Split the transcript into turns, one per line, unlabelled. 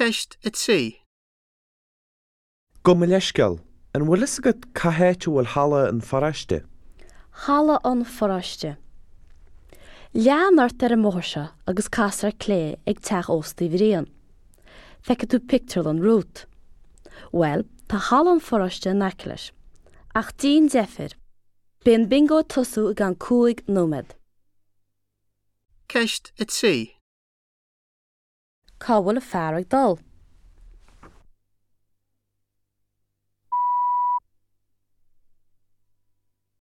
Ceist 3.
Gabh mo leithscéal, an bhfuil fhios agat cá háit a bhfuil halla an pharóiste?
Halla an pharóiste. Lean ort ar an mbóthar seo agus cas ar clé ag teach ósta Uí Bhriain. Feicfidh tú pictiúrlann Ruth. Bhuel, tá halla an pharóiste in aice leis. Ach déan deifir. Beidh an bingo ag tosú i gceann 5 nóiméad.
Ceist 3.
Cá bhfuil an fear ag dul?